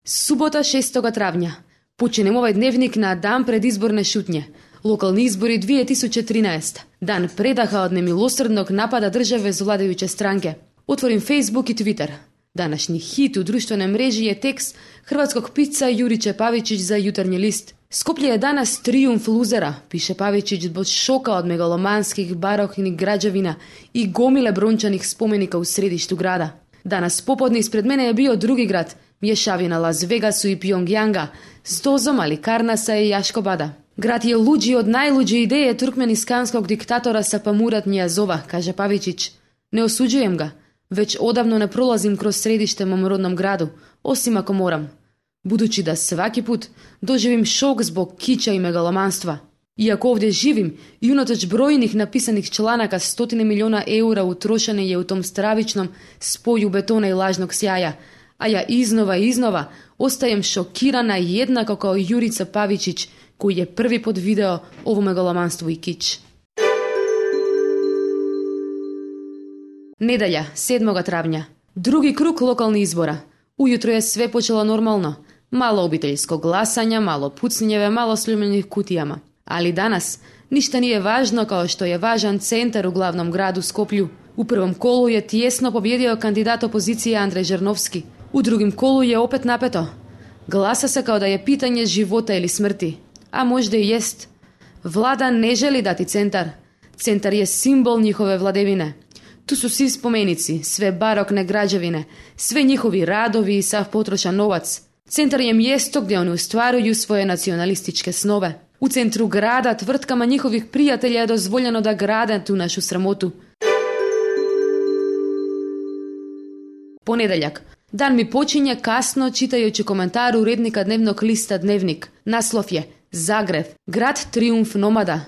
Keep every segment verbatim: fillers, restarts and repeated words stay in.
Субота шестого травња. Почнем овај дневник на дан пред изборне шутње. Локални избори две тисучи тринаесета. Дан предаха од немилосрдног напада државе за владејуче странке. Отворим Facebook и Twitter. Данашни хит у друштвene мрежи е текст хрватског пица Јуриче Павичиć за Јутрњи лист. Скопје е данас триумф лузера, пише Павичиć од шока од мегаломанских барокни граđевина и гомиле брончаних споменика у средишту града. Данас поподне испред мене е био други град, мјешавина Лас Вегасу и Пјонгјанга, с дозом Аликарнаса и Јашкобада. Град е луѓи од најлуѓи идеје туркменисканског диктатора Сапамурат Нијазова, каже Павичиć. Не осуđуjem ga, веќе одавно не пролазим кроз средиште мом родном граду, осим ако морам. Будучи да сваки пут доживим шок због кича и мегаломанства. Иако овде живим и унаточ бројних написаних чланака стотини милиона еура утрошени е у том стравичном споју бетона и лажног сјаја, а ја изнова и изнова остаjem шокирана еднако као Јурица Павичиć, кој е први под видео ово мегаломанство и кич. Неделја, седмого травња. Други круг локални избора. Ујутро е све почело нормално. Мало обителјско гласање, мало пуцњеве, мало слюмених кутијама. Али данас, ништа не е важно као што е важан центар у главном граду Скопју. У првом колу е тиесно победио кандидат опозиција Андреј Жерновски. У другим колу е опет напето. Гласа се као да е питање живота или смрти. А можда и ест. Влада не жели дати центар. Центар е символ njihove владевине. Ту су си споменици, све барокне граđевине, све njihови радови и сав потрошан новац. Центар е мјесто где они устварују своје националистичке снове. У центру града тврткама njihових пријателја е дозволено да градат ту нашу срамоту. Понеделјак. Дан ми почиње касно читајуќи коментар уредника дневног листа Дневник. Наслов е Загреб, град триумф номада.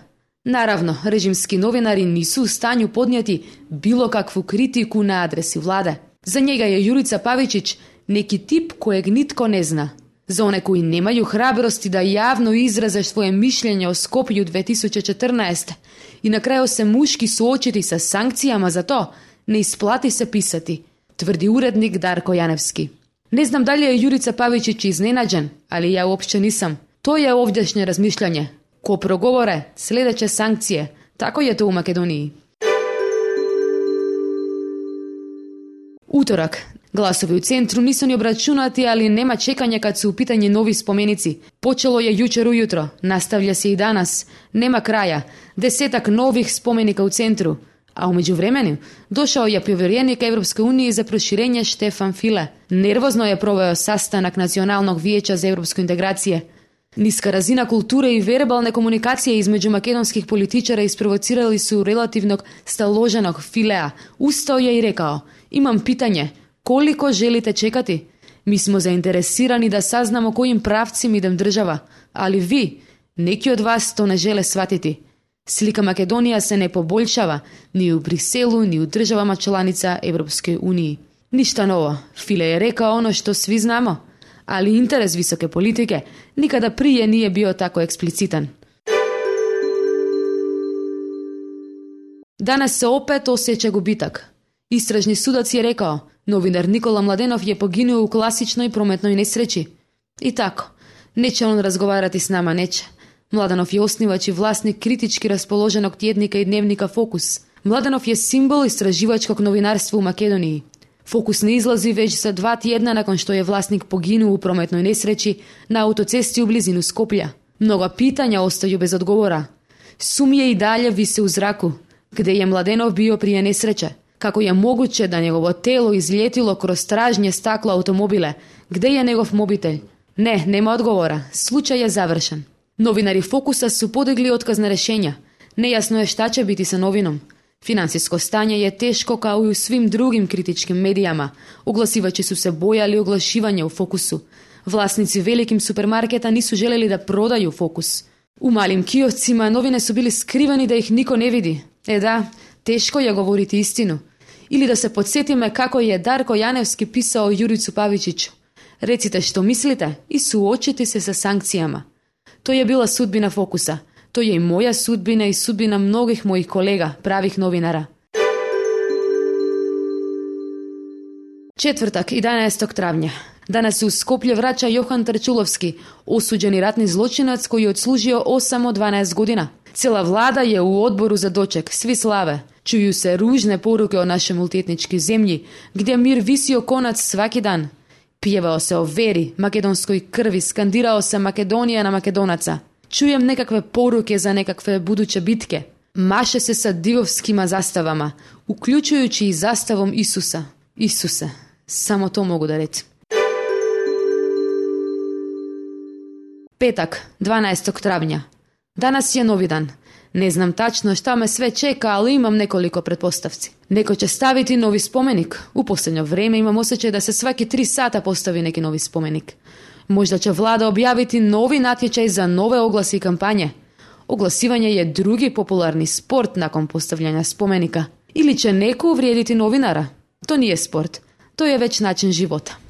Наравно, режимски новинари нису у стању поднијати било какву критику на адреси владе. За njega е Јурица Павичиć неки тип којег нитко не зна. За оне кои немају храбрости да јавно изразе своје мишљење о Скопју две тисучи четрнаесета и на крајо се мушки суочити со санкцијама за то, не исплати се писати, тврди уредник Дарко Јаневски. Не знам дали е Јурица Павичиć изненаđен, али ја уопšte нисам. Тоа е овдешње размишљање. Ко проговоре, следеće санкције. Тако е то у Македонiji. Уторак. Гласови у центру нису ни обрачунати, али нема чекање кад се у питање нови споменици. Почело е јучер ујутро, наставља се и данас. Нема краја. Десетак нових споменика у центру. А умеѓу времени, дошао е повереник Европска унија за проширење Штефан Филе. Нервозно е провео састанак Националног виеća за европско интеграција. Ниска разина култура и вербална комуникација измеѓу македонских политичара испровоцирали су релативног сталоженог Филеа. Устао ја и рекао: имам питање, колико желите чекати? Ми смо заинтересирани да сазнамо којим правцим идем држава, али ви, неки од вас то не желе сватити. Слика Македонија се не побољшава ни у Бриселу, ни у државама чланица Европској унија. Ништа ново, Филе е рекао оно што сви знамо, али интерес високе политике никада прije nije bio tako eksplicitan. Danas se opet osjeća gubitak. Istražni sudac je rekao, novinar Nikola Mladenov je poginuo u klasičnoj prometnoj nesreći. I tako, neće on razgovarati s nama, neće. Mladenov je osnivač i vlasnik kritički raspoloženog tjednika i dnevnika Fokus. Mladenov je simbol istraživačkog novinarstva u Makedoniji. Fokus ne izlazi već za dva tjedna nakon što je vlasnik poginuo u prometnoj nesreći na autocesti u blizinu Skoplja. Mnoga pitanja ostaju bez odgovora. Sumnje i dalje vise u zraku. Gde je Mladenov bio prije nesreće? Kako je moguće da njegovo telo izljetilo kroz tražnje stakla automobile? Gde je njegov mobitel? Ne, nema odgovora. Slučaj je završen. Novinari Fokusa su podigli otkazna rješenja. Nejasno je šta će biti sa novinom. Finansijsko stanje je teško kao i u svim drugim kritičkim medijama. Oglasivači su se bojali oglašivanja u Fokusu. Vlasnici velikim supermarketa nisu željeli da prodaju Fokus. U malim kioscima novine su bili skriveni da ih niko ne vidi. E da, teško je govoriti istinu. Ili da se podsjetime kako je Darko Janevski pisao Juricu Pavičiću. Recite što mislite i suočite se sa sankcijama. To je bila sudbina Fokusa. To je i moja sudbina i sudbina mnogih mojih kolega, pravih novinara. Četvrtak, jedanaestog travnja. Danas se u Skoplje vraća Johan Trčulovski, osuđeni ratni zločinac koji je odslužio osam od dvanaest godina. Cijela vlada je u odboru za doček, svi slave. Čuju se ružne poruke o našoj multietničkoj zemlji, gdje mir visi konac svaki dan. Pjevao se o veri, makedonskoj krvi, skandirao se Makedonija na Makedonaca. Čujem nekakve poruke za nekakve buduće bitke. Maše se sa divovskima zastavama, uključujući i zastavom Isusa. Isuse, samo to mogu da recim. Petak, dvanaestog travnja. Danas je novi dan. Ne znam tačno šta me sve čeka, ali imam nekoliko pretpostavci. Neko će staviti novi spomenik. U posljednje vrijeme imam osjećaj da se svaki tri sata postavi neki novi spomenik. Možda će vlada objaviti novi natječaj za nove oglasi i kampanje. Oglasivanje je drugi popularni sport nakon postavljanja spomenika. Ili će neko uvrijediti novinara. To nije sport. To je već način života.